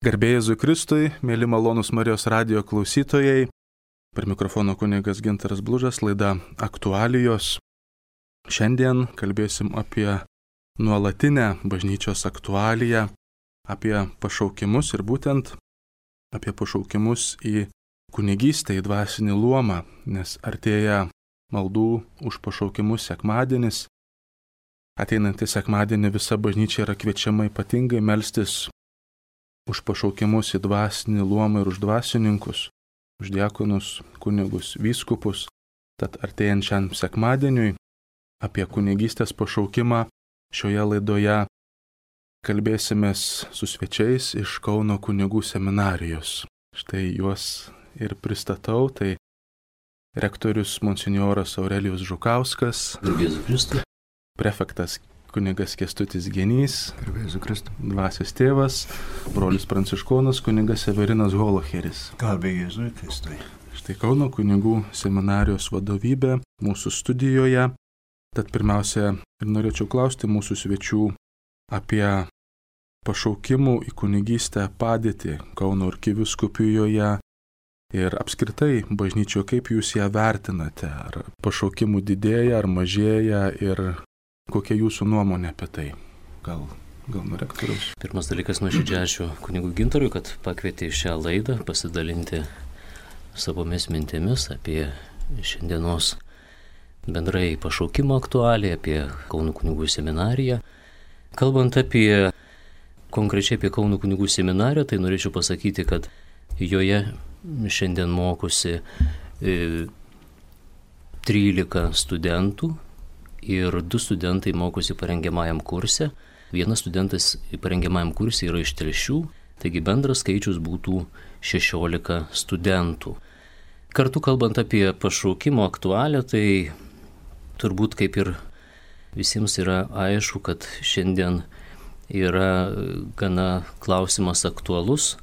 Garbė Jėzui Kristui, mėly malonūs Marijos radijo klausytojai, per mikrofono kunigas Gintaras Blužas, laida Aktualijos. Šiandien kalbėsim apie nuolatinę bažnyčios aktualiją, apie pašaukimus ir būtent apie pašaukimus į kunigystę, į dvasinį luomą, nes artėja maldų už pašaukimus sekmadienis. Ateinantį sekmadienį visa bažnyčia yra kviečiama ypatingai melstis už pašaukimus į dvasinį luomą ir už dvasininkus, už diakonus, kunigus, vyskupus. Tad artėjant šiam sekmadieniui apie kunigystės pašaukimą šioje laidoje kalbėsimės su svečiais iš Kauno kunigų seminarijos. Štai juos ir pristatau, tai rektorius monsinjoras Aurelijus Žukauskas, prefektas kunigas Kęstutis Genys, dvasios tėvas, brolis pranciškonas kunigas Severinas Holocheris. Garbė Jėzui Kristui. Štai Kauno kunigų seminarijos vadovybė mūsų studijoje. Tad pirmiausia, ir norėčiau klausti mūsų svečių apie pašaukimų į kunigystę padėtį Kauno arkivyskupijoje ir apskritai bažnyčioje, kaip jūs ją vertinate? Ar pašaukimų didėja, ar mažėja ir kokia jūsų nuomonė apie tai? Gal nuo rektoriaus? Pirmas dalykas, nuoširdžiai ačiū kunigui Gintarui, kad pakvietė į šią laidą pasidalinti savomis mintimis apie šiandienos bendrai pašaukimo aktualiją, apie Kauno kunigų seminariją. Kalbant konkrečiai apie Kauno kunigų seminariją, tai norėčiau pasakyti, kad joje šiandien mokosi 13 studentų. Ir 2 studentai mokosi parengiamajam kurse. Vienas studentas parengiamajam kurse yra iš Telšių, taigi bendras skaičius būtų 16 studentų. Kartu kalbant apie pašaukimo aktualią, tai turbūt kaip ir visiems yra aišku, kad šiandien yra gana klausimas aktualus,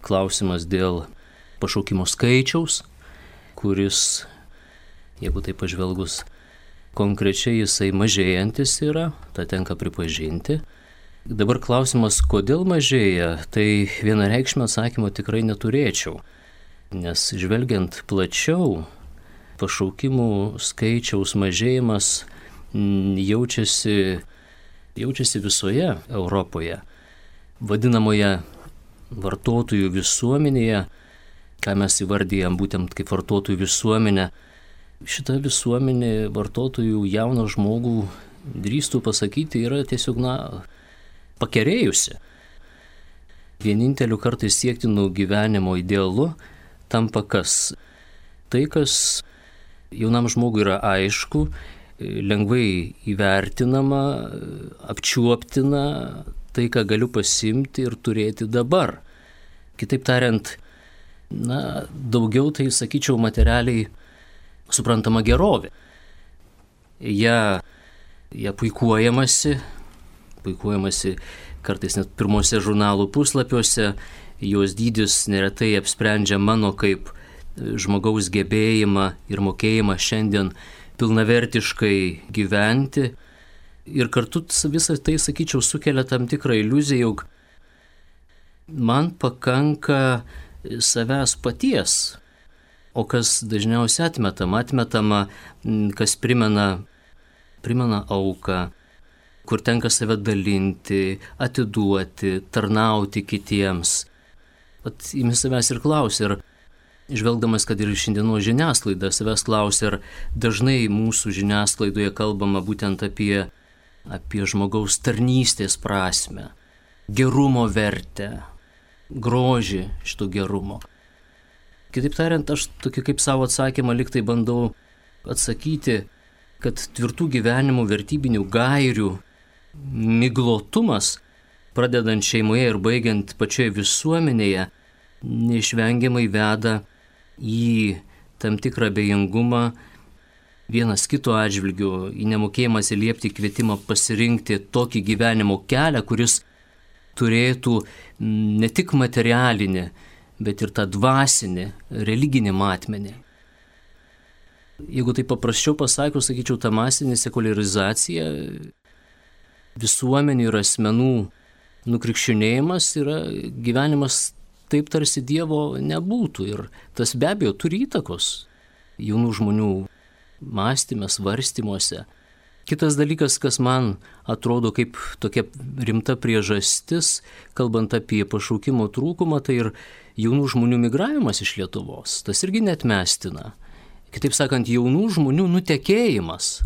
klausimas dėl pašaukimo skaičiaus, kuris, jeigu tai pažvelgus, konkrečiai jisai mažėjantis yra, tą tenka pripažinti. Dabar klausimas, kodėl mažėja, tai vienareikšmio atsakymo tikrai neturėčiau. Nes žvelgiant plačiau, pašaukimų skaičiaus mažėjimas jaučiasi visoje Europoje. Vadinamoje vartotojų visuomenėje, ką mes įvardyjam būtent kaip vartotojų visuomenę, šita visuomenė vartotojų jauną žmogų, drįstų pasakyti, yra tiesiog, pakerėjusi. Vieninteliu kartais siektinų gyvenimo idealu tampa kas? Tai, kas jaunam žmogui yra aišku, lengvai įvertinama, apčiuoptina, tai, ką galiu pasimti ir turėti dabar. Kitaip tariant, daugiau tai, sakyčiau, materialiai suprantama gerovė. Ja puikuojamasi kartais net pirmose žurnalų puslapiuose, jos dydis neretai apsprendžia mano kaip žmogaus gebėjimą ir mokėjimą šiandien pilnavertiškai gyventi. Ir kartu visą tai, sakyčiau, sukelia tam tikrą iliuziją, jog man pakanka savęs paties. O kas dažniausiai atmetama, kas primena auką, kur tenka save dalinti, atiduoti, tarnauti kitiems. Imi savęs ir klausi, ir žvelgdamas, kad ir šiandienos žiniasklaida savęs klausi, ar dažnai mūsų žiniasklaidoje kalbama būtent apie žmogaus tarnystės prasmę, gerumo vertę, grožį šito gerumo. Kitaip tariant, aš tokį kaip savo atsakymą liktai bandau atsakyti, kad tvirtų gyvenimo vertybinių gairių miglotumas, pradedant šeimoje ir baigiant pačioje visuomenėje, neišvengiamai veda į tam tikrą abejingumą vienas kito atžvilgiu, į nemokėjimą atsiliepti kvietimą pasirinkti tokį gyvenimo kelią, kuris turėtų ne tik materialinį, bet ir tą dvasinį, religinį matmenį. Jeigu tai paprasčiau pasakius, sakyčiau, ta masinė sekuliarizacija visuomenių ir asmenų nukrikščionėjimas yra gyvenimas taip tarsi Dievo nebūtų. Ir tas be abejo turi įtakos jaunų žmonių mąstyme, svarstymuose. Kitas dalykas, kas man atrodo kaip tokia rimta priežastis, kalbant apie pašaukimo trūkumą, tai ir jaunų žmonių migravimas iš Lietuvos. Tas irgi neatmestina. Kitaip sakant, jaunų žmonių nutekėjimas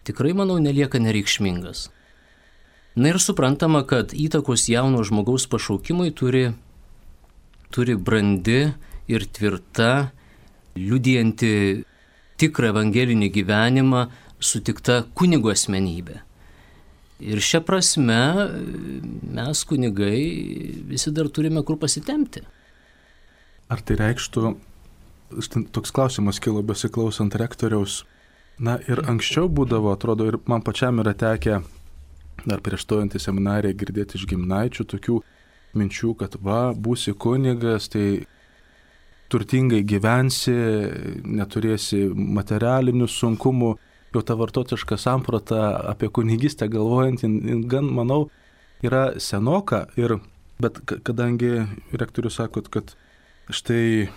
tikrai, manau, nelieka nereikšmingas. Na ir suprantama, kad įtakos jauno žmogaus pašaukimui turi brandi ir tvirta, liudijanti tikrą evangelinį gyvenimą, sutikta kunigo asmenybė. Ir šia prasme mes kunigai visi dar turime kur pasitempti. Ar tai reikštų, toks klausimas kilo besiklausant rektoriaus, na ir anksčiau būdavo, atrodo, ir man pačiam yra tekę dar prieš stojant į seminariją girdėti iš giminaičių tokių minčių, kad būsi kunigas, tai turtingai gyvensi, neturėsi materialinių sunkumų. Jau ta vartotojiška samprata apie kunigystę galvojant, gan, manau, yra senoka. Bet kadangi rektorius sakot, kad štai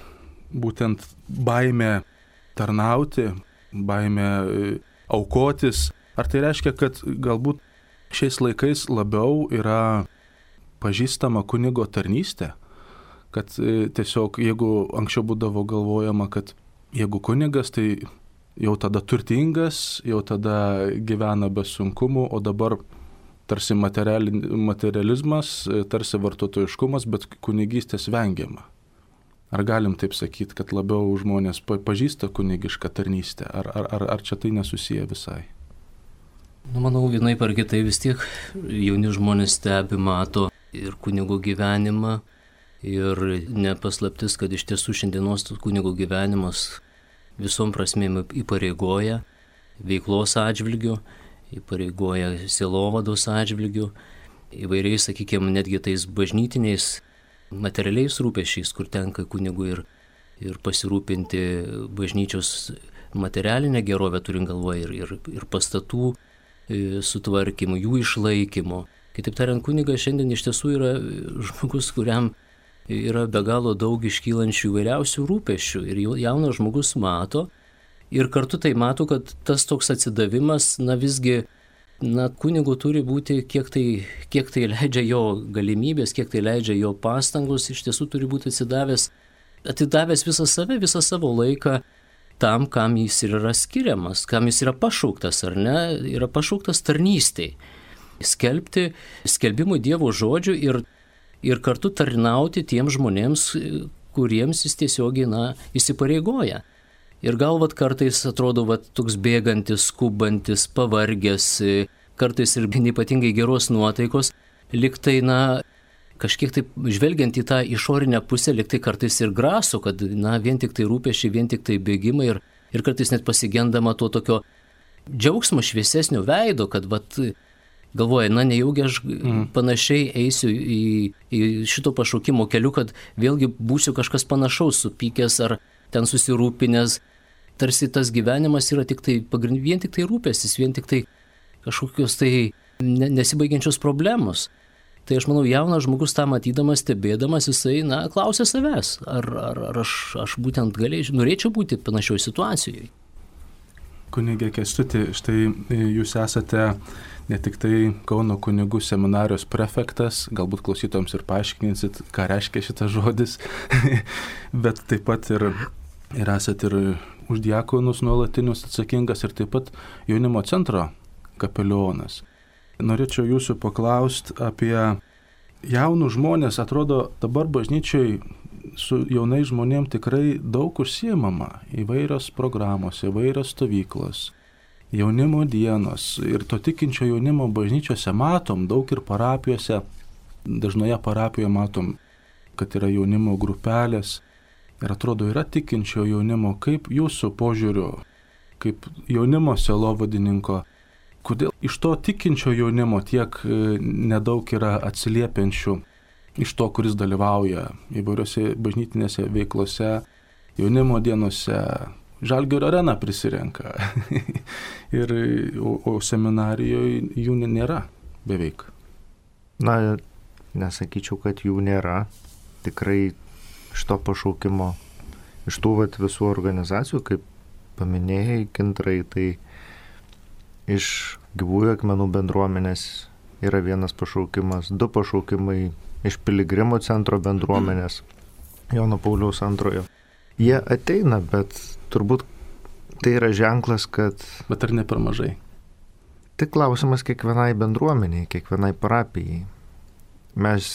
būtent baimė tarnauti, baimė aukotis, ar tai reiškia, kad galbūt šiais laikais labiau yra pažįstama kunigo tarnystė? Kad tiesiog, jeigu anksčiau būdavo galvojama, kad jeigu kunigas, tai jau tada turtingas, jau tada gyvena be sunkumų, o dabar tarsi materializmas, tarsi vartotojiškumas, bet kunigystės vengiama. Ar galim taip sakyti, kad labiau žmonės pažįsta kunigišką tarnystę, ar čia tai nesusiję visai? Manau, vienaip ar kitai vis tiek jauni žmonės stebi, mato ir kunigo gyvenimą, ir nepaslaptis, kad iš tiesų šiandienos kunigo gyvenimas visom prasmėm įpareigoja veiklos atžvilgių, įpareigoja sielovados atžvilgių, įvairiais, sakykime, netgi tais bažnytiniais materialiais rūpesčiais, kur tenka kunigui ir pasirūpinti bažnyčios materialinę gerovę, turint galvoje ir pastatų sutvarkymu, jų išlaikymu. Kitaip tariant, kunigas šiandien iš tiesų yra žmogus, kuriam yra be galo daug iškylančių įvairiausių rūpesčių ir jaunas žmogus mato ir kartu tai mato, kad tas toks atsidavimas, visgi, kunigu turi būti, kiek tai leidžia jo galimybės, kiek tai leidžia jo pastangos, iš tiesų turi būti atidavęs visą save, visą savo laiką tam, kam jis yra skiriamas, kam jis yra pašauktas, ar ne, yra pašauktas tarnystei. Skelbimui Dievo žodžių ir kartu tarnauti tiems žmonėms, kuriems jis tiesiogiai, įsipareigoja. Ir galvat kartais atrodo toks bėgantis, skubantis, pavargęs, kartais ir ypatingai geros nuotaikos, liktai, kažkiek taip žvelgiant į tą išorinę pusę, liktai kartais ir graso, kad, vien tik tai rūpesčiai, vien tik tai bėgimai ir kartais net pasigendama to tokio džiaugsmo šviesesnio veido, kad, galvoja, nejaugi aš panašiai eisiu į šito pašaukimo keliu, kad vėlgi būsiu kažkas panašaus, supykęs ar ten susirūpinęs. Tarsi tas gyvenimas yra vien tik tai rūpestis, vien tik tai kažkokios nesibaigiančios problemos. Tai aš manau, jaunas žmogus tą matydamas, stebėdamas, jisai, klausia savęs, ar aš būtent norėčiau būti panašioj situacijoje. Kunigė Kęstuti, štai jūs esate ne tik tai Kauno kunigų seminarijos prefektas, galbūt klausytojams ir paaiškinsit, ką reiškia šitas žodis, bet taip pat ir esate ir už diakonus nuolatinius atsakingas ir taip pat jaunimo centro kapelionas. Norėčiau jūsų paklausti apie jaunus žmonės. Atrodo, dabar bažnyčiai su jaunais žmonėm tikrai daug užsiimama, įvairios programos, įvairios stovyklos, jaunimo dienos ir to tikinčio jaunimo bažnyčiose matom daug ir parapijose, dažnoje parapijoje matom, kad yra jaunimo grupelės ir atrodo yra tikinčio jaunimo. Kaip jūsų požiūriu, kaip jaunimo sielovadininko, kodėl iš to tikinčio jaunimo tiek nedaug yra atsiliepiančių iš to, kuris dalyvauja įvairiose bažnytinėse veiklose, jaunimo dienose, Žalgirio areną prisirenka, o seminarijoje jų nėra beveik. Na, nesakyčiau, kad jų nėra. Tikrai iš to pašaukimo, iš tų visų organizacijų, kaip paminėjai, Gintarai, tai iš Gyvųjų akmenų bendruomenės yra vienas pašaukimas, 2 pašaukimai iš Piligrimų centro bendruomenės, Jono Pauliaus II. Jie ateina, bet turbūt tai yra ženklas, kad... Bet ar ne per mažai? Tai klausimas kiekvienai bendruomeniai, kiekvienai parapijai. Mes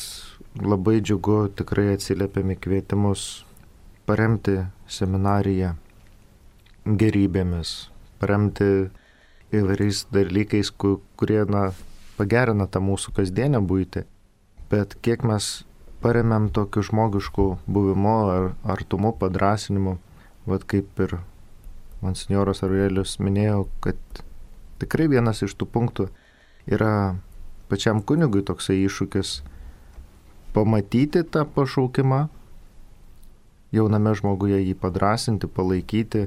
labai džiugu tikrai atsiliepėme kvietimus paremti seminariją gerybėmis, paremti įvairiais dalykais, kurie pagerina tą mūsų kasdienę buitį. Bet kiek mes paremėm tokiu žmogišku buvimu ar artumu, padrąsinimu, kaip ir monsinjoras Aurelijus minėjo, kad tikrai vienas iš tų punktų yra pačiam kunigui toksai iššūkis pamatyti tą pašaukimą, jauname žmoguje jį padrąsinti, palaikyti,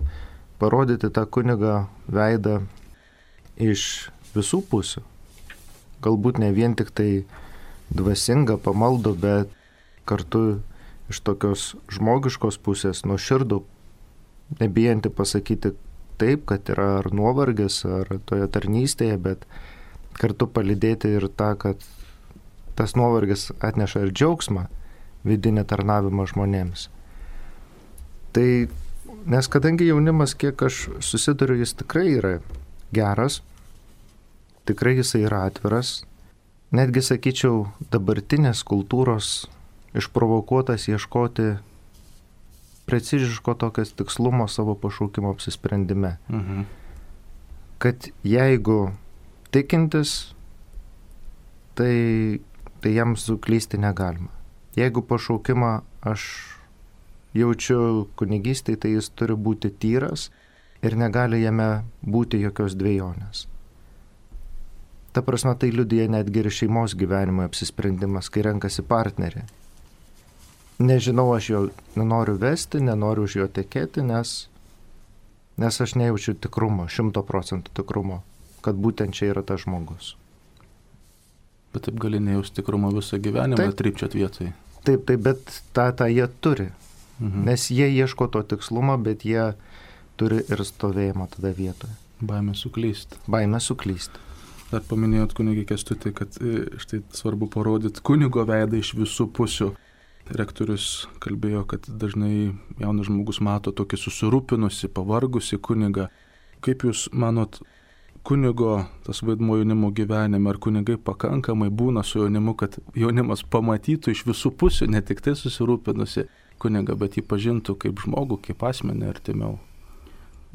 parodyti tą kunigą veidą iš visų pusių. Galbūt ne vien tik tai dvasinga, pamaldo, bet kartu iš tokios žmogiškos pusės, nuoširdų, nebijanti pasakyti taip, kad yra ar nuovargis, ar toje tarnystėje, bet kartu palydėti ir tą, kad tas nuovargis atneša ir džiaugsmą, vidinį tarnavimą žmonėms. Tai, nes kadangi jaunimas, kiek aš susiduriu, jis tikrai yra geras, tikrai jisai yra atviras, netgi sakyčiau, dabartinės kultūros išprovokuotas ieškoti preciziško tokias tikslumo savo pašaukimo apsisprendime. Kad jeigu tikintis, tai jam suklysti negalima. Jeigu pašaukimą aš jaučiu kunigystėje, tai jis turi būti tyras ir negali jame būti jokios dvejonės. Ta prasme, tai liudija netgi ir šeimos gyvenimo apsisprendimas, kai renkasi partnerį. Nežinau, aš jo nenoriu vesti, nenoriu už jo tekėti, nes aš nejaučiu tikrumo, 100% tikrumo, kad būtent čia yra tas žmogus. Bet taip gali nejausti tikrumo visą gyvenimą, trypčiat vietoj. Taip, bet tą jie turi. Nes jie ieško to tikslumo, bet jie turi ir stovėjimą tada vietoje. Baimė suklysti. Baimė suklysti. Dar paminėjot kunigį Kęstutį, kad štai svarbu parodyti kunigo veidą iš visų pusių. Rektorius kalbėjo, kad dažnai jaunas žmogus mato tokį susirūpinusi, pavargusi kunigą. Kaip jūs manot, kunigo tas vaidmuo jaunimo gyvenime, ar kunigai pakankamai būna su jaunimu, kad jaunimas pamatytų iš visų pusių, ne tik tai susirūpinusi kunigą, bet jį pažintų kaip žmogų, kaip asmenį artimiau?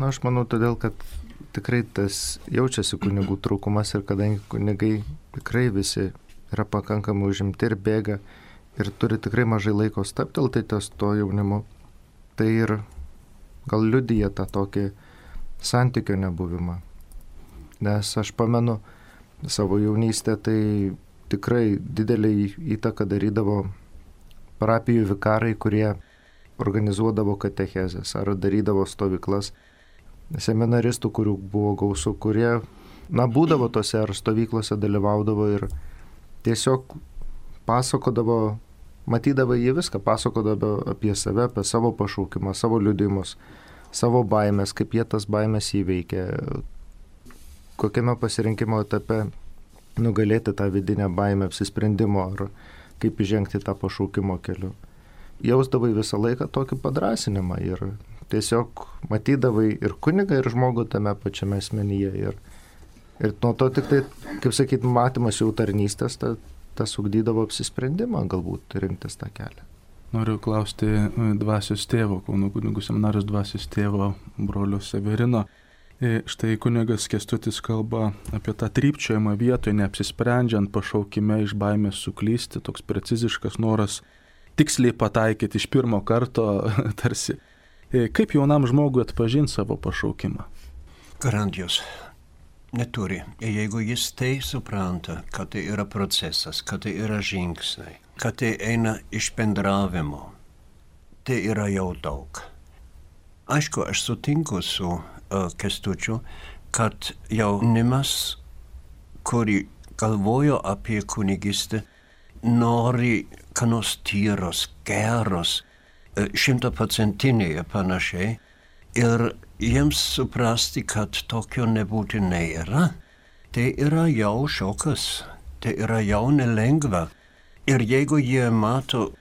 Na, aš manau, todėl, kad tikrai tas jaučiasi kunigų trūkumas ir kadangi kunigai tikrai visi yra pakankamai užimti ir bėga ir turi tikrai mažai laiko stabtelti ties to jaunimu, tai ir gal liudija tą tokį santykio nebuvimą. Nes aš pamenu savo jaunystę, tai tikrai didelį įtaką darydavo parapijų vikarai, kurie organizuodavo katechezes ar darydavo stovyklas, seminaristų, kurių buvo gausu, kurie, būdavo tose ar stovyklose dalyvaudavo ir tiesiog pasakodavo, matydavo jie viską, pasakodavo apie save, apie savo pašaukimą, savo liudijimus, savo baimės, kaip jie tas baimės įveikė, kokiame pasirinkimo etape nugalėti tą vidinę baimę apsisprendimo ar kaip įžengti tą pašaukimo keliu. Jausdavai visą laiką tokį padrąsinimą ir tiesiog matydavai ir kunigą, ir žmogų tame pačiame asmenyje. Ir nuo to tik tai, kaip sakyt, matymas jau tarnystės, tas ugdydavo apsisprendimą galbūt rinktis tą kelią. Noriu klausti dvasios tėvo, Kauno kunigų seminarijos dvasios tėvo brolio Severino. Štai kunigas Kęstutis kalba apie tą trypčiojimą vietoje, neapsisprendžiant pašaukime iš baimės suklysti, toks preciziškas noras tiksliai pataikyti iš pirmo karto tarsi. Kaip jaunam žmogui atpažinti savo pašaukimą? Garantijos neturi. Jeigu jis tai supranta, kad tai yra procesas, kad tai yra žingsniai, kad tai eina iš bendravimo, tai yra jau daug. Aišku, aš sutinku su Kęstučiu, kad jaunimas, kurį galvoja apie kunigystę, nori ką nors tyros, geros, 100% ir panašiai. Ir jiems suprasti, kad tokio nebūtinai yra, tai yra jau šokas, tai yra jau nelengva. Ir jeigu jie mato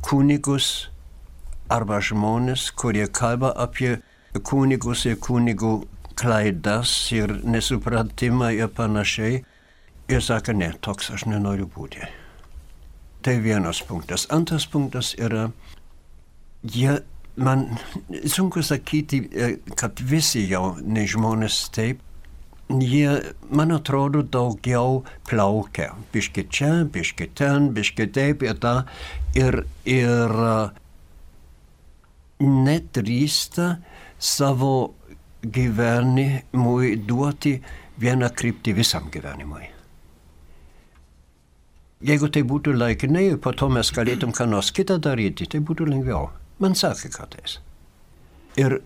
kunigus arba žmonės, kurie kalba apie kunigus ir kunigų klaidas ir nesupratimą ir panašiai, ir sako, ne, toks aš nenoriu būti. Tai vienas punktas. Antras punktas yra, man sunku sakyti, kad visi jau ne žmonės taip, jie, man atrodo, daugiau plaukia. Biški čia, biški ten, biški taip ir tą. Ir nedrįsta savo gyvenimui duoti vieną kryptį visam gyvenimui. Jeigu tai būtų laikinai, po to mes galėtum ką nors kitą daryti, tai būtų lengviau. Man sakė kartais. Ir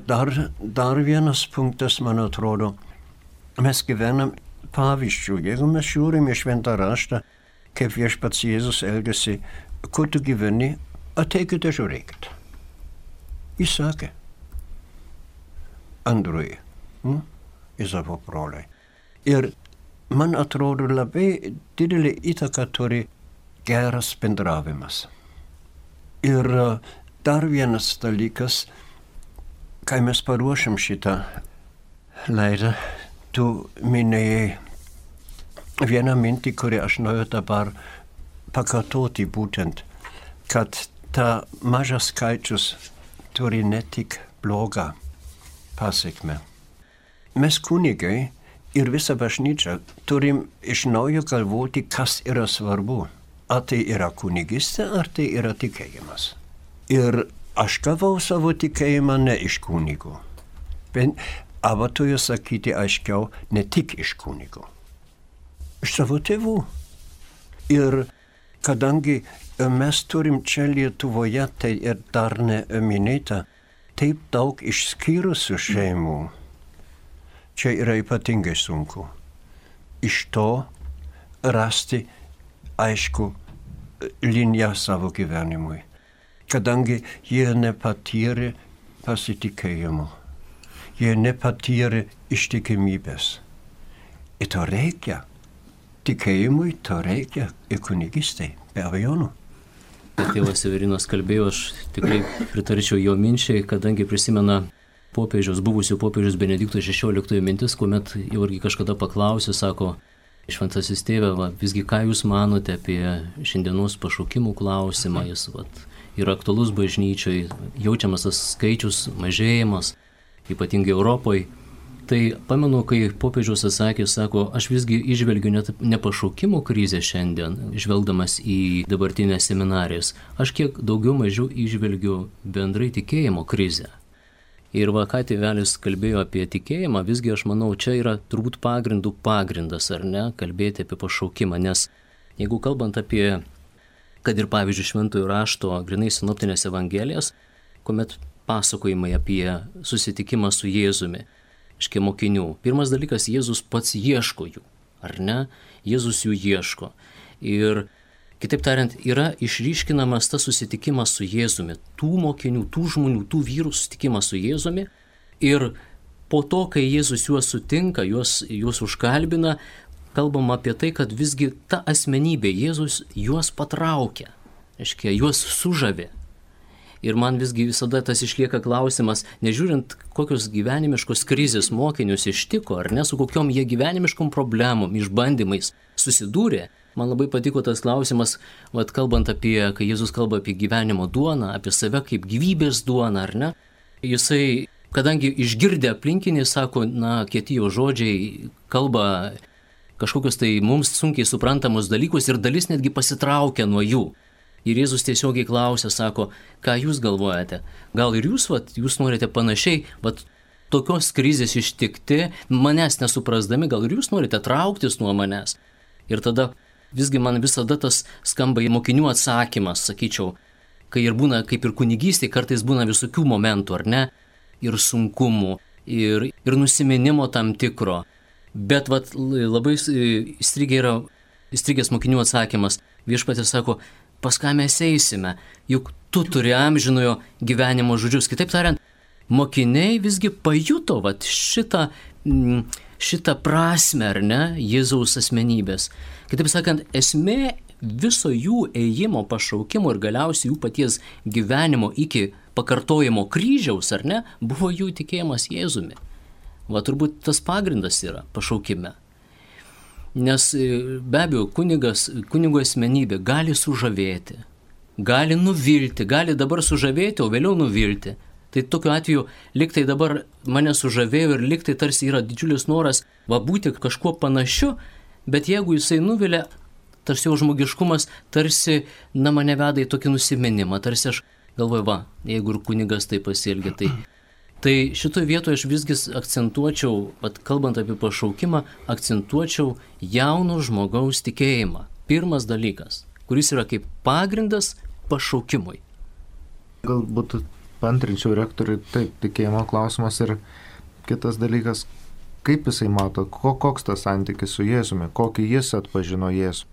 dar vienas punktas, man atrodo, mes gyvenam pavyzdžių. Jeigu mes žiūrim į šventą raštą, kaip viešpats Jėzus elgėsi, kur tu gyveni, ateikite žiūrėkit. Jis sakė Andrui, Izavo broliui. Ir man atrodo labai didelį įtaką turi geras bendravimas. Ir dar vienas dalykas, kai mes paruošim šitą laidą, tu minėjai vieną mintį, kurį aš noriu dabar pakartoti būtent, kad ta mažas skaičius turi ne tik blogą pasekmę. Mes kunigai ir visa bažnyčia turim iš naujo galvoti, kas yra svarbu. Ar tai yra kunigystė, ar tai yra tikėjimas. Ir aš gavau savo tikėjimą ne iš kunigų. Arba turiu sakyti aiškiau, ne tik iš kunigų. Iš savo tėvų. Ir kadangi mes turim čia Lietuvoje, tai ir dar neminėta, taip daug išskyrusių šeimų, čia yra ypatingai sunku. Iš to rasti aišku liniją savo gyvenimui, kadangi jie nepatyrė pasitikėjimo, jie nepatyrė ištikimybės. Ir to reikia. Tikėjimui to reikia ir kunigystei, be abejonų. Tėvas Severinas kalbėjo, aš tikrai pritarčiau jo minčiai, kadangi prisimena buvusių popiežiaus Benedikto XVI mintis, kuomet jau irgi kažkada paklausė, sako, šventasis tėve, visgi ką jūs manote apie šiandienos pašaukimų klausimą, jis yra aktualus bažnyčiai, jaučiamas tas skaičius mažėjimas, ypatingai Europoje. Tai pamenu, kai popiežius atsakė, sako, aš visgi išvelgiu ne pašaukimo krizę šiandien, žvelgdamas į dabartinės seminarijas, aš kiek daugiau mažiau išvelgiu bendrai tikėjimo krizę. Ir ką tėvelis kalbėjo apie tikėjimą, visgi aš manau, čia yra turbūt pagrindas, ar ne, kalbėti apie pašaukimą, nes jeigu kalbant apie, kad ir pavyzdžiui šventojo rašto, grinai sinoptinės evangelijas, kuomet pasakojimai apie susitikimą su Jėzumi, iškia mokinių. Pirmas dalykas, Jėzus pats ieško jų, ar ne? Jėzus jų ieško. Ir kitaip tariant, yra išryškinamas tas susitikimas su Jėzumi, tų mokinių, tų žmonių, tų vyrų susitikimas su Jėzumi. Ir po to, kai Jėzus juos sutinka, juos užkalbina, kalbam apie tai, kad visgi ta asmenybė Jėzus juos patraukia, iškia, juos sužavė. Ir man visgi visada tas išlieka klausimas, nežiūrint kokios gyvenimiškos krizės mokinius ištiko, ar ne, su kokiom jie gyvenimiškom problemom, išbandymais susidūrė. Man labai patiko tas klausimas, kalbant apie, kai Jėzus kalba apie gyvenimo duoną, apie save kaip gyvybės duoną, ar ne. Jisai, kadangi išgirdę aplinkiniai, sako, kieti jo žodžiai, kalba kažkokius tai mums sunkiai suprantamus dalykus ir dalis netgi pasitraukia nuo jų. Ir Jėzus tiesiogiai klausia, sako, ką jūs galvojate? Gal ir jūs norite panašiai, tokios krizės ištikti, manęs nesuprasdami, gal ir jūs norite trauktis nuo manęs? Ir tada visgi man visada tas skamba mokinių atsakymas, sakyčiau, kai ir būna, kaip ir kunigystė, kartais būna visokių momentų, ar ne? Ir sunkumų, ir nusiminimo tam tikro. Bet vat, labai įstrigęs mokinių atsakymas. Viešpatis sako, pas ką mes eisime, juk tu turi amžinojo gyvenimo žodžius. Kitaip tariant, mokiniai visgi pajuto vat, šitą prasmę, ar ne, Jėzaus asmenybės. Kitaip sakant, esmė viso jų ėjimo, pašaukimo ir galiausiai jų paties gyvenimo iki pakartojimo kryžiaus, ar ne, buvo jų tikėjimas Jėzumi. Va turbūt tas pagrindas yra pašaukime. Nes be abejo, kunigo asmenybė gali sužavėti, gali nuvilti, gali dabar sužavėti, o vėliau nuvilti. Tai tokiu atveju liktai dabar mane sužavėjo ir liktai tarsi yra didžiulis noras būti kažkuo panašiu, bet jeigu jisai nuvilia, tarsi jo žmogiškumas tarsi mane veda į tokį nusiminimą, tarsi aš galvoju, jeigu ir kunigas tai pasielgia, tai šitoje vietoje aš visgi akcentuočiau, kalbant apie pašaukimą, akcentuočiau jauno žmogaus tikėjimą. Pirmas dalykas, kuris yra kaip pagrindas pašaukimui. Galbūt paantrinčiau rektoriui, taip, tikėjimo klausimas ir kitas dalykas, kaip jisai mato, koks tas santykis su Jėzumi, kokį jis atpažino Jėzų.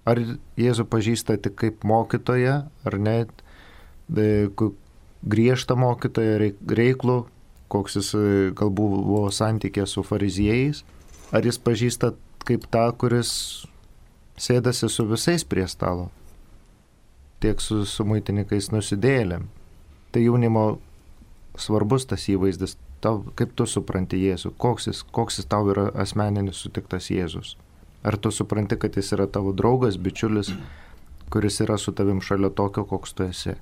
Ar Jėzų pažįsta tik kaip mokytoją, ar net griežtą mokytoją, reiklų, koks jis galbūt buvo santykė su fariziejais, ar jis pažįsta kaip tą, kuris sėdasi su visais prie stalo, tiek su muitininkais nusidėjėlėm. Tai jaunimo svarbus tas įvaizdis, kaip tu supranti Jėzų, koks jis tau yra asmeninis sutiktas Jėzus. Ar tu supranti, kad jis yra tavo draugas, bičiulis, kuris yra su tavim šalia tokio, koks tu esi?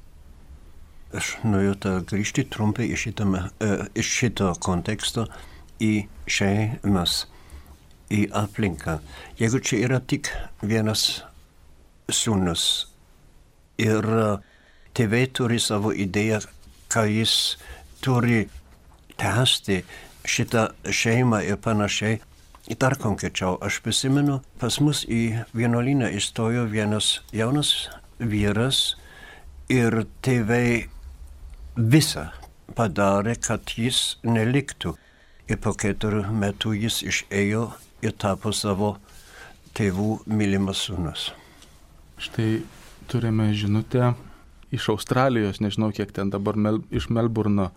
Aš noriu grįžti trumpai iš šito konteksto į šeimas, į aplinką. Jeigu čia yra tik vienas sūnus ir tėvai turi savo idėją, ką jis turi tęsti šitą šeimą ir panašiai. Dar konkrečiau, aš prisimenu, pas mus į vienuolyną įstojo vienas jaunas vyras ir tėvai visą padarė, kad jis neliktų. Ir po 4 metų jis išėjo ir tapo savo tėvų mylimas sūnus. Štai turime žinutę iš Australijos, nežinau kiek ten dabar, iš Melburno,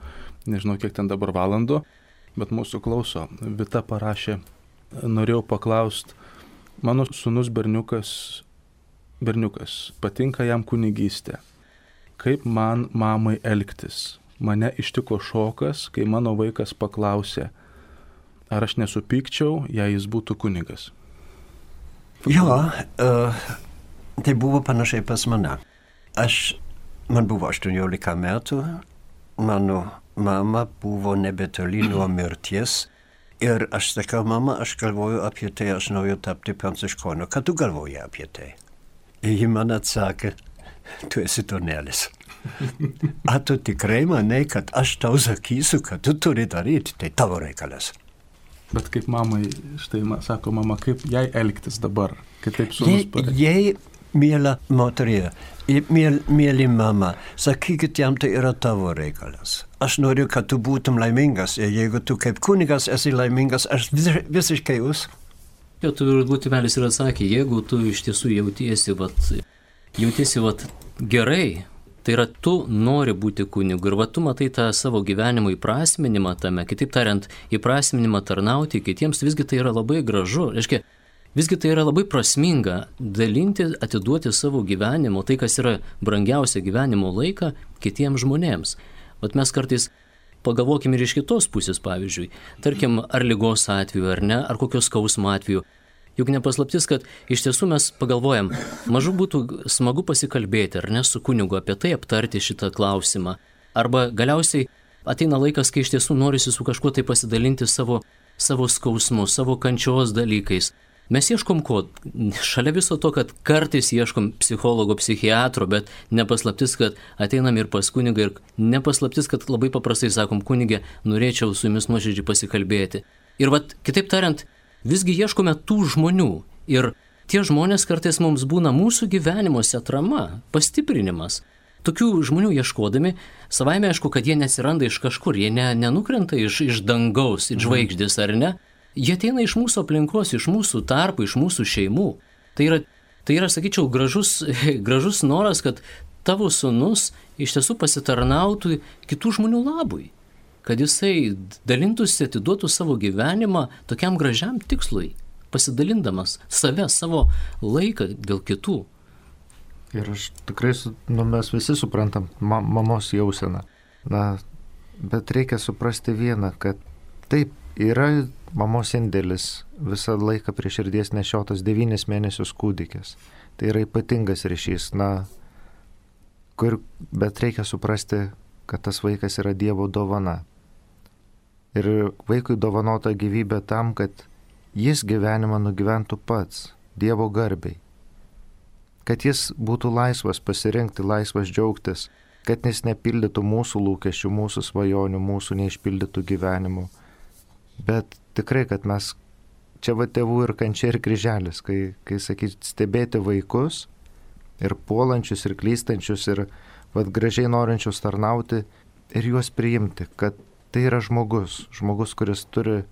nežinau kiek ten dabar valandų, bet mūsų klauso. Vita parašė, norėjau paklausti, mano sūnus berniukas, patinka jam kunigystė. Kaip man mamai elgtis? Mane ištiko šokas, kai mano vaikas paklausė, ar aš nesupykčiau, jei jis būtų kunigas. Jo, tai buvo panašiai pas mane. Man buvo 18 metų, mano mama buvo nebetoli nuo mirties ir aš sakau, mama, aš galvoju apie tai, aš noriu tapti pranciškonu. Ką tu galvoji apie tai? Ir ji man atsakė, tu esi tonelis. A tu tikrai manai, kad aš tau sakysiu, kad tu turi daryti, tai tavo reikalas. Bet kaip mamai, štai sako mama, kaip jai elgtis dabar, kitaip sūnus pareikia. Jei mėla moterie, mėly mama, sakykit jam, tai yra tavo reikalas. Aš noriu, kad tu būtum laimingas ir jeigu tu kaip kunigas esi laimingas, aš visiškai jūs. Jo, tu turbūt tėvelis ir atsakė, jeigu tu iš tiesų jautiesi gerai, tai yra tu nori būti kunigu ir tu matai tą savo gyvenimo įprasminimą tame, kitaip tariant, įprasminimą tarnauti kitiems, visgi tai yra labai gražu. Reiškia, visgi tai yra labai prasminga dalinti, atiduoti savo gyvenimo, tai kas yra brangiausia gyvenimo laiką kitiems žmonėms. Vat mes kartais pagalvokime ir iš kitos pusės, pavyzdžiui, tarkim, ar ligos atveju, ar ne, ar kokios skausmo atveju. Juk nepaslaptis, kad iš tiesų mes pagalvojam, mažu būtų smagu pasikalbėti, ar ne, su kunigu apie tai aptarti šitą klausimą. Arba galiausiai ateina laikas, kai iš tiesų norisi su kažkuo tai pasidalinti savo skausmu, savo kančios dalykais. Mes ieškom ko? Šalia viso to, kad kartais ieškom psichologo, psichiatro, bet nepaslaptis, kad ateinam ir pas kunigą ir nepaslaptis, kad labai paprastai sakom, kunigė, norėčiau su jumis nuoširdžiai pasikalbėti. Ir kitaip tariant, visgi ieškome tų žmonių ir tie žmonės kartais mums būna mūsų gyvenimuose atrama, pastiprinimas. Tokių žmonių ieškodami, savaime aišku, kad jie neatsiranda iš kažkur, jie nenukrenta iš dangaus, iš žvaigždės ar ne, jie ateina iš mūsų aplinkos, iš mūsų tarpų, iš mūsų šeimų. Tai yra, sakyčiau, gražus noras, kad tavo sūnus iš tiesų pasitarnautų kitų žmonių labui. Kad jisai dalintųsi, atiduotų savo gyvenimą tokiam gražiam tikslui, pasidalindamas savo laiką dėl kitų. Ir aš tikrai, mes visi suprantam mamos jauseną. Bet reikia suprasti vieną, kad taip, yra mamos indėlis visą laiką prie širdies nešiotas 9 mėnesius kūdikis. Tai yra ypatingas ryšys, bet reikia suprasti, kad tas vaikas yra Dievo dovana. Ir vaikui dovanota gyvybė tam, kad jis gyvenimą nugyventų pats, Dievo garbiai. Kad jis būtų laisvas pasirinkti, laisvas džiaugtis, kad jis nepildytų mūsų lūkesčių, mūsų svajonių, mūsų neišpildytų gyvenimų. Bet tikrai, kad mes, čia tėvų ir kančia ir kryželis, kai sakyti, stebėti vaikus ir puolančius ir klystančius ir gražiai norinčius tarnauti ir juos priimti, kad tai yra žmogus, kuris turi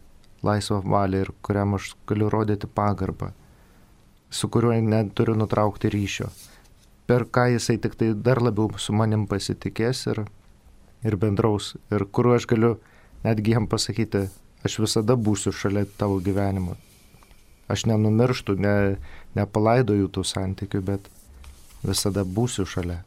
laisvą valią ir kuriam aš galiu rodyti pagarbą, su kuriuo neturiu nutraukti ryšio, per ką jisai tik tai dar labiau su manim pasitikės ir bendraus, ir kuriuo aš galiu netgi jam pasakyti, aš visada būsiu šalia tavo gyvenimo. Aš nenumirštu, nepalaidoju tų santykių, bet visada būsiu šalia.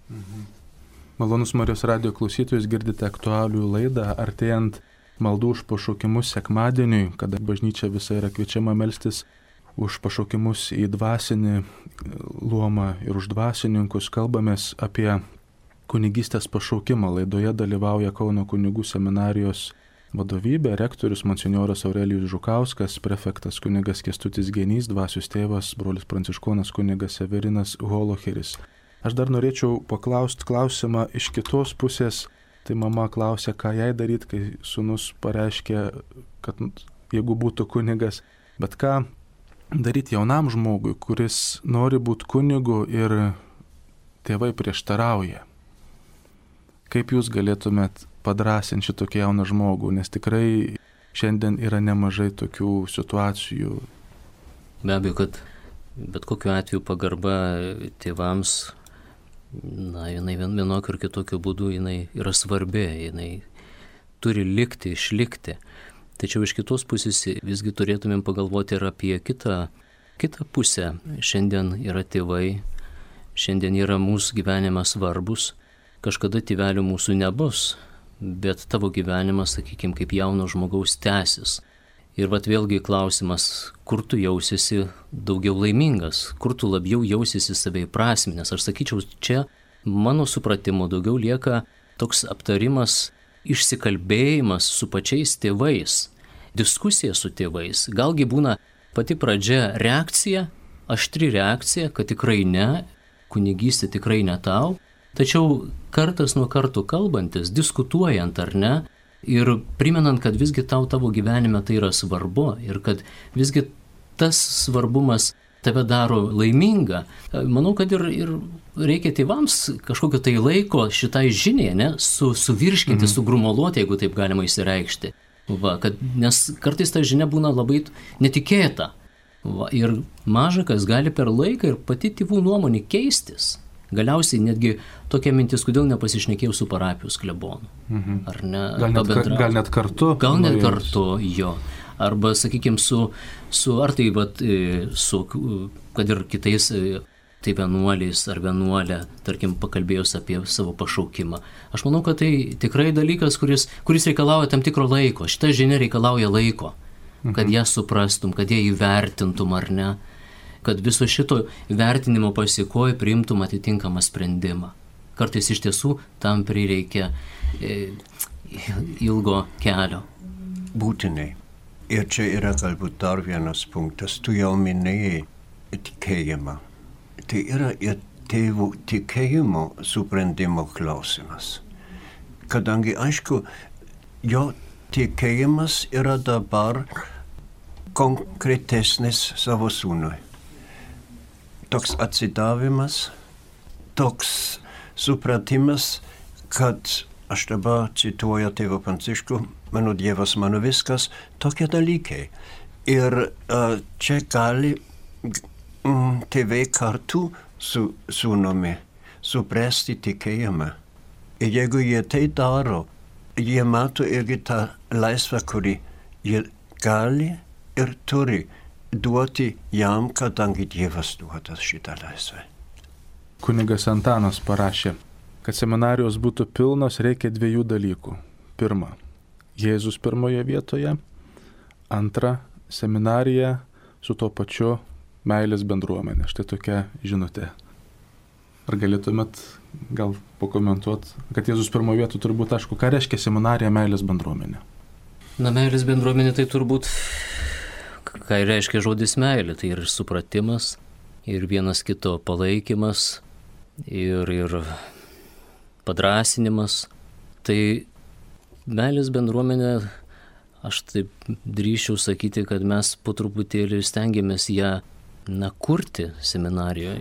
Malonus Marijos radijo klausytojus, girdite aktualijų laidą, artėjant maldų už pašaukimus sekmadieniui, kada bažnyčia visa yra kviečiama melstis už pašaukimus į dvasinį luomą ir už dvasininkus. Kalbamės apie kunigystės pašaukimą. Laidoje dalyvauja Kauno kunigų seminarijos vadovybė, rektorius monsinjoras Aurelijus Žukauskas, prefektas kunigas Kęstutis Genys, dvasios tėvas brolis pranciškonas kunigas Severinas Holocheris. Aš dar norėčiau paklausti klausimą iš kitos pusės. Tai mama klausė, ką jai daryti, kai sūnus pareiškė, kad jeigu būtų kunigas. Bet ką daryti jaunam žmogui, kuris nori būti kunigu ir tėvai prieštarauja? Kaip jūs galėtumėt padrasinti šitokį jauną žmogų, nes tikrai šiandien yra nemažai tokių situacijų. Be abejo, kad bet kokiu atveju pagarba tėvams, jinai vienokiu ir kitokiu būdu jinai yra svarbi, jinai turi likti, išlikti. Tačiau iš kitos pusės visgi turėtumėm pagalvoti ir apie kitą pusę. Šiandien yra tėvai, šiandien yra mūsų gyvenimas svarbus, kažkada tėvelių mūsų nebus, bet tavo gyvenimas, sakykime, kaip jauno žmogaus tęsis. Ir vėlgi klausimas, kur tu jausiesi daugiau laimingas, kur tu labiau jausiesi save įprasminęs. Aš sakyčiau, čia mano supratimu daugiau lieka toks aptarimas, išsikalbėjimas su pačiais tėvais, diskusija su tėvais. Galgi būna pati pradžia reakcija, aštri reakcija, kad tikrai ne, kunigystė tikrai ne tau, tačiau kartas nuo karto kalbantis, diskutuojant ar ne, ir primenant, kad visgi tavo gyvenime tai yra svarbu ir kad visgi tas svarbumas tave daro laimingą. Manau, kad ir reikia tėvams kažkokio tai laiko šitai žiniai, suvirškinti, sugrumoluoti, jeigu taip galima išsireikšti. Nes kartais ta žinia būna labai netikėta. Ir maža kas gali per laiką ir pati tėvų nuomonė keistis. Galiausiai netgi tokia mintis, kodėl nepasišnekėjau su parapijos klebonu. Ar ne? Gal net kartu? Gal net kartu, jo. Arba, sakykime, kad ir kitais tai vienuoliais ar vienuolė, tarkim, pakalbėjus apie savo pašaukimą. Aš manau, kad tai tikrai dalykas, kuris reikalauja tam tikro laiko. Šita žinia reikalauja laiko, kad ją suprastum, kad ją įvertintum ar ne. Kad viso šito vertinimo pasiekoje priimtum atitinkamą sprendimą. Kartais iš tiesų tam prireikia ilgo kelio. Būtinai. Ir čia yra galbūt dar vienas punktas. Tu jau minėjai tikėjimą. Tai yra ir tėvų tikėjimo suprendimo klausimas. Kadangi, aišku, jo tikėjimas yra dabar konkretesnis savo sūnui. Toks atsidavimas, toks supratimas, kad aš dabar cituoju tėvą Pranciškų, mano Dievas, mano viskas, tokie dalykai. Ir čia gali tėvai kartu su sūnumi suprasti tikėjimą. Ir jeigu jie tai daro, jie mato irgi tą laisvę, kurį jie gali ir turi duoti jam, kadangi Dievas duoda šitą laisvę. Kunigas Antanas parašė, kad seminarijos būtų pilnos, reikia 2 dalykų. Pirma, Jėzus pirmoje vietoje. Antra, seminarija su tuo pačiu meilės bendruomenė. Štai tokia žinutė. Ar galėtumėt gal pakomentuoti, kad Jėzus pirmoje vietoje turbūt aišku, ką reiškia seminarija meilės bendruomenė? Na, meilės bendruomenė tai turbūt, ką reiškia žodis meilė, tai ir supratimas, ir vienas kito palaikymas, ir padrąsinimas. Tai meilės bendruomenė, aš taip drįsčiau sakyti, kad mes po truputėlį stengiamės ją kurti seminarijoje,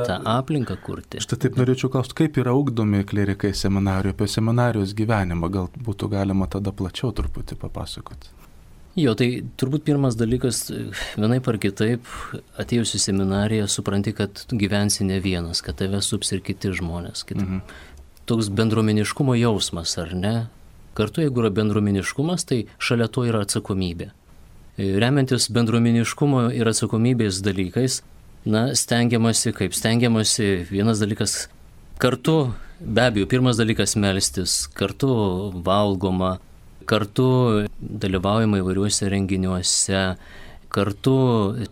tą aplinką kurti. Štai taip norėčiau klausti, kaip yra ugdomi klerikai seminarijoje, apie seminarijos gyvenimą, gal būtų galima tada plačiau truputį papasakoti. Jo, tai turbūt pirmas dalykas, vienaip ar kitaip, atėjus į seminariją, supranti, kad gyvensi ne vienas, kad tave sups ir kiti žmonės. Toks bendruomeniškumo jausmas, ar ne? Kartu, jeigu yra bendruomeniškumas, tai šalia to yra atsakomybė. Remiantis bendruomeniškumo ir atsakomybės dalykais, stengiamasi, vienas dalykas kartu, be abejo, pirmas dalykas melstis, kartu valgoma, kartu dalyvaujama įvairiuose renginiuose, kartu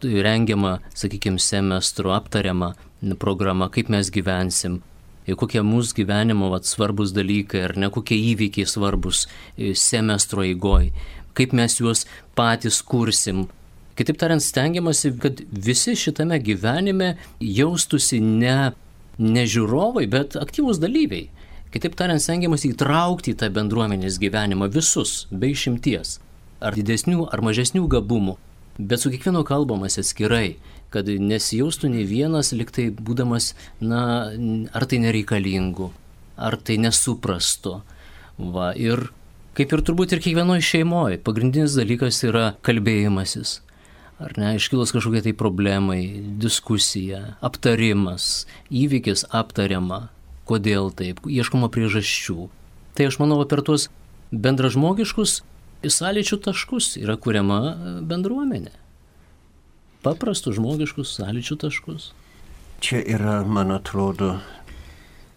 rengiama, sakykime, semestro aptariama programa, kaip mes gyvensim, kokie mūsų gyvenimo svarbus dalykai, ar ne, kokie įvykiai svarbus semestro eigoj, kaip mes juos patys kursim. Kitaip tariant, stengiamasi, kad visi šitame gyvenime jaustųsi ne žiūrovai, bet aktyvūs dalyviai. Kitaip tariant, stengiamasi įtraukti į tą bendruomenės gyvenimą visus, be išimties. Ar didesnių, ar mažesnių gabumų. Bet su kiekvienu kalbamas atskirai, kad nesijaustų nei vienas, liktai būdamas, ar tai nereikalingu, ar tai nesuprasto. Ir kaip ir turbūt ir kiekvienoje šeimoje, pagrindinis dalykas yra kalbėjimasis. Ar ne, iškilus kažkokie tai problemai, diskusija, aptarimas, įvykis aptariama, kodėl taip, ieškoma priežasčių. Tai aš manau, per tuos bendražmogiškus sąlyčių taškus yra kuriama bendruomenė. Paprastus žmogiškus sąlyčių taškus. Čia yra, man atrodo,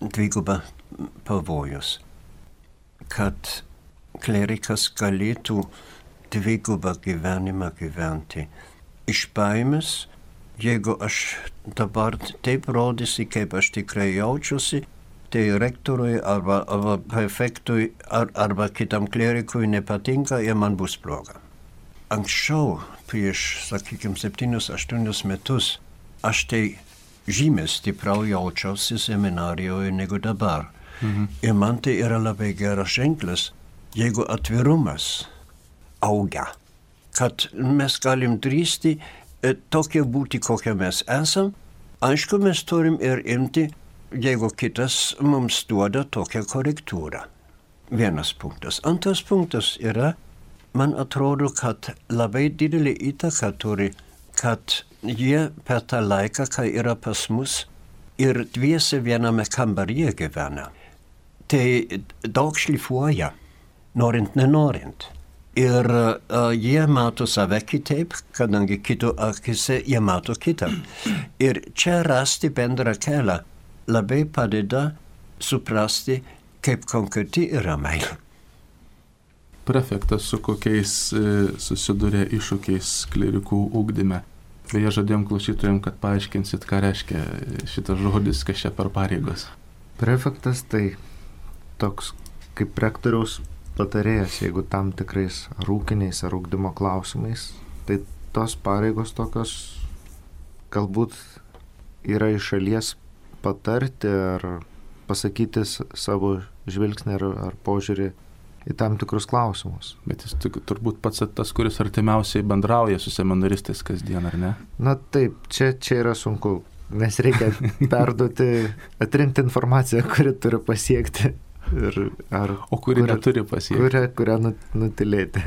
dviguba pavojus, kad klerikas galėtų dvigubą gyvenimą gyventi. Iš baimės, jeigu aš dabar taip rodysi, kaip aš tikrai jaučiuosi, tai rektoriui arba prefektui arba kitam klerikui nepatinka ir man bus bloga. Anksčiau, prieš, sakykime, 7-8 metus, aš tai žymiai stipriau jaučiausi seminarijoje negu dabar. Ir man tai yra labai geras ženklas, jeigu atvirumas auga, kad mes galim drįsti tokie būti, kokie mes esam. Aišku, mes turim ir imti, jeigu kitas mums duoda tokią korektūrą. Vienas punktas. Antras punktas yra, man atrodo, kad labai didelį įtaką turi, kad jie per tą laiką, kai yra pas mus ir dviese viename kambaryje gyvena, tai daug šlifuoja, norint, nenorint. Ir jie mato save kitaip, kadangi kito akise jie mato kitą. Ir čia rasti bendrą kelią labai padeda suprasti, kaip konkreti yra meilė. Prefektas, su kokiais susiduria iššūkiais klerikų ugdyme? Beje, žadėjom klausytojams, kad paaiškinsit, ką reiškia šitas žodis, kas čia per pareigos. Prefektas tai toks kaip rektoriaus patarėjas, jeigu tam tikrais ar ūkiniais, ar ugdymo klausimais, tai tos pareigos tokios galbūt yra iš šalies patarti ar pasakyti savo žvilgsnį ar požiūrį į tam tikrus klausimus. Bet jis turbūt pats tas, kuris artimiausiai bendrauja su seminaristais kasdien, ar ne? Na taip, čia yra sunku, nes reikia perduoti, atrinkti informaciją, kuri turi pasiekti. O kuri neturi pasiekti. Kurią nutilėti.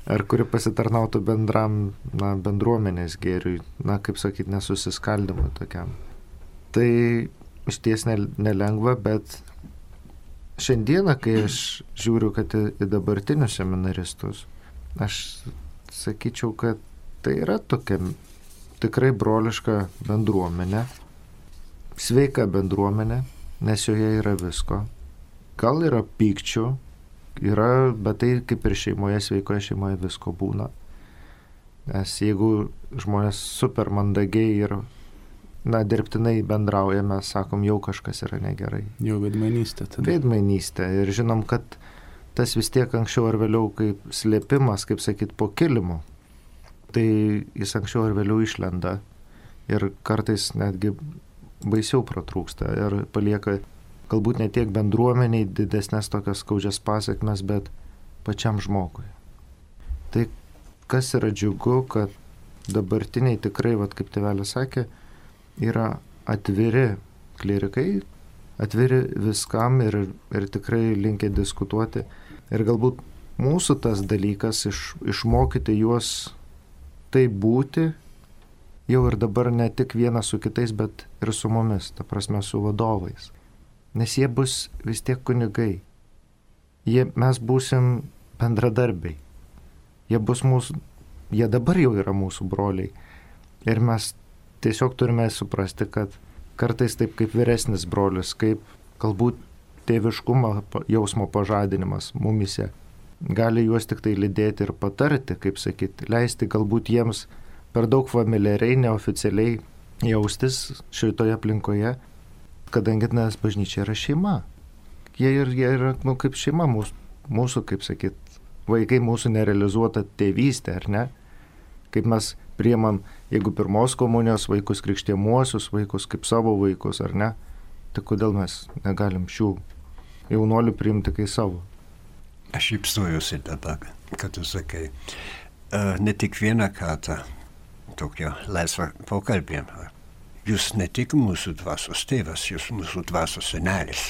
ar kuri pasitarnautų bendram, bendruomenės gėriui, kaip sakyti, nesusiskaldimui tokiam. Tai iš ties nelengva, bet šiandieną, kai aš žiūriu, kad į dabartinius seminaristus, aš sakyčiau, kad tai yra tokia tikrai broliška bendruomenė, sveika bendruomenė, nes joje yra visko. Gal yra pykčių, bet tai kaip ir šeimoje, sveikoje šeimoje visko būna. Nes jeigu žmonės super mandagiai ir dirbtinai bendrauja, mes sakom, jau kažkas yra negerai. Jau veidmainystė tada. Veidmainystė. Ir žinom, kad tas vis tiek anksčiau ar vėliau kaip slėpimas, kaip sakyt, po kilimu. Tai jis anksčiau ar vėliau išlenda ir kartais netgi baisiau pratrūksta ir palieka galbūt ne tiek bendruomeniai didesnės tokias skaudžias pasiekmes, bet pačiam žmogui. Tai kas yra džiugu, kad dabartiniai tikrai, kaip tėvelis sakė, yra atviri klierikai, atviri viskam ir tikrai linkę diskutuoti. Ir galbūt mūsų tas dalykas išmokyti juos taip būti, jau ir dabar ne tik vienas su kitais, bet ir su mumis, ta prasme su vadovais. Nes jie bus vis tiek kunigai. Mes būsim bendradarbiai. Jie dabar jau yra mūsų broliai. Ir mes tiesiog turime suprasti, kad kartais taip kaip vyresnis brolis, kaip galbūt tėviškumo jausmo pažadinimas mumise, gali juos tik tai lydėti ir patarti, kaip sakyti, leisti galbūt jiems per daug familiariai, neoficialiai jaustis šitoje aplinkoje, kadangi nes bažnyčia yra šeima. Jie yra kaip šeima mūsų, kaip sakyt, vaikai mūsų nerealizuota tėvystė, ar ne? Kaip mes priimam, jeigu pirmos komunijos vaikus, krikštiemuosius vaikus, kaip savo vaikus, ar ne? Tai kodėl mes negalim šių jaunuolių priimti kaip savo? Aš šypsojuosi dabar, kad tu sakai, ne tik vieną kartą tokio laisvą pokalbį. Jūs ne tik mūsų dvasios tėvas, jūs mūsų dvasios senelis.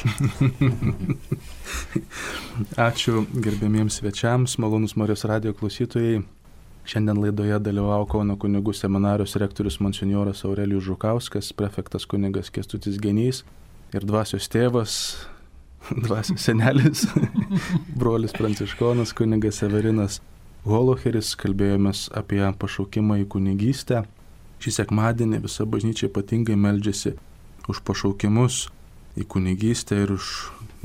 Ačiū gerbėmiems svečiams, malonus Marijos radijo klausytojai. Šiandien laidoje dalyvavo Kauno kunigų seminarijos rektorius monsinjoras Aurelijus Žukauskas, prefektas kunigas Kęstutis Genys ir dvasios tėvas, dvasios senelis, brolis pranciškonas kunigas Severinas Holocheris. Kalbėjomės apie pašaukimą į kunigystę. Šį sekmadienį visa bažnyčia ypatingai meldžiasi už pašaukimus į kunigystę ir už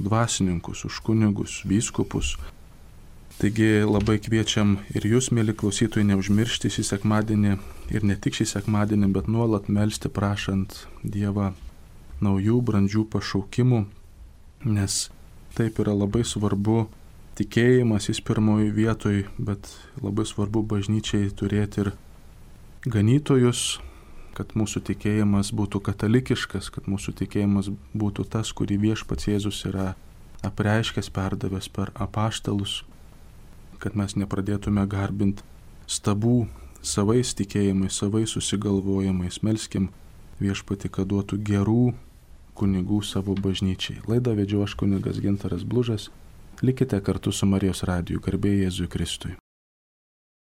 dvasininkus, už kunigus, vyskupus. Taigi labai kviečiam ir jūs, mėly klausytojai, neužmiršti šį sekmadienį ir ne tik šį sekmadienį, bet nuolat melsti prašant Dievą naujų brandžių pašaukimų, nes taip yra labai svarbu tikėjimas, jis pirmoji vietoj, bet labai svarbu bažnyčiai turėti ir ganytojus, kad mūsų tikėjimas būtų katalikiškas, kad mūsų tikėjimas būtų tas, kurį Viešpats Jėzus yra apreiškęs, perdavęs per apaštalus, kad mes nepradėtume garbinti stabų savais tikėjimais, savais susigalvojimais. Melskim Viešpatį, kad duotų gerų kunigų savo bažnyčiai. Laidą vedžiau aš kunigas Gintaras Blužas. Likite kartu su Marijos radiju. Garbė Jėzui Kristui.